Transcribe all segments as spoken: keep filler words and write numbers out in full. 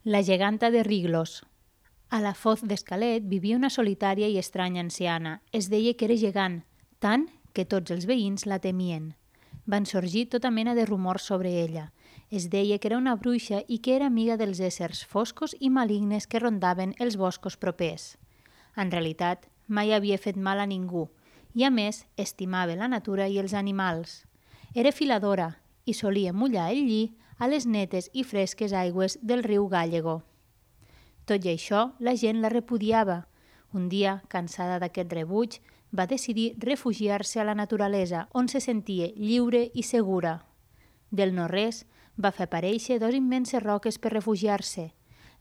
La geganta de Riglos. A la Foz d'Escalet vivia una solitària i estranya anciana. Es deia que era gegant, tant que tots els veïns la temien. Van sorgir tota mena de rumors sobre ella. Es deia que era una bruixa i que era amiga dels éssers foscos i malignes que rondaven els boscos propers. En realitat, mai havia fet mal a ningú i, a més, estimava la natura i els animals. Era filadora i solia mullar el lli a les netes i fresques aigües del riu Gallego. Tot i això, la gent la repudiava. Un dia, cansada d'aquest rebuig, va decidir refugiar-se a la naturalesa, on se sentia lliure i segura. Del no-res, va fer aparèixer dos immenses roques per refugiar-se.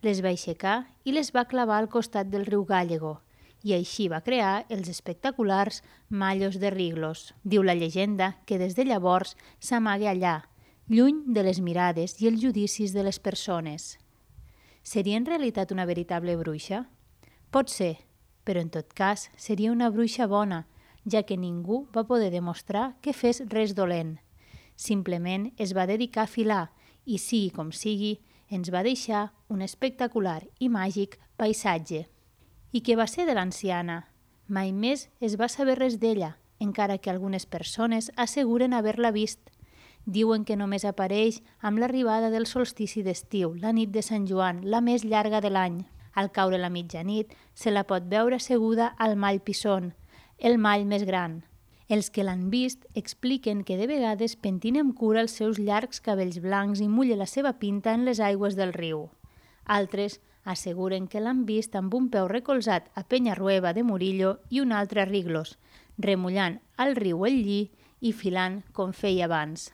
Les va aixecar i les va clavar al costat del riu Gallego, i així va crear els espectaculars Mallos de Riglos. Diu la llegenda que des de llavors s'amaga allà, lluny de les mirades i els judicis de les persones. Seria en realitat una veritable bruixa? Pot ser, però en tot cas seria una bruixa bona, ja que ningú va poder demostrar que fes res dolent. Simplement es va dedicar a filar i, sigui com sigui, ens va deixar un espectacular i màgic paisatge. I què va ser de l'anciana? Mai més es va saber res d'ella, encara que algunes persones asseguren haver-la vist. Diuen que només apareix amb l'arribada del solstici d'estiu, la nit de Sant Joan, la més llarga de l'any. Al caure la mitjanit, se la pot veure asseguda al mall Pisson, el mall més gran. Els que l'han vist expliquen que de vegades pentina amb cura els seus llargs cabells blancs i mulla la seva pinta en les aigües del riu. Altres asseguren que l'han vist amb un peu recolzat a Penyarrueva de Murillo i un altre a Riglos, remullant al riu el lli i filant com feia abans.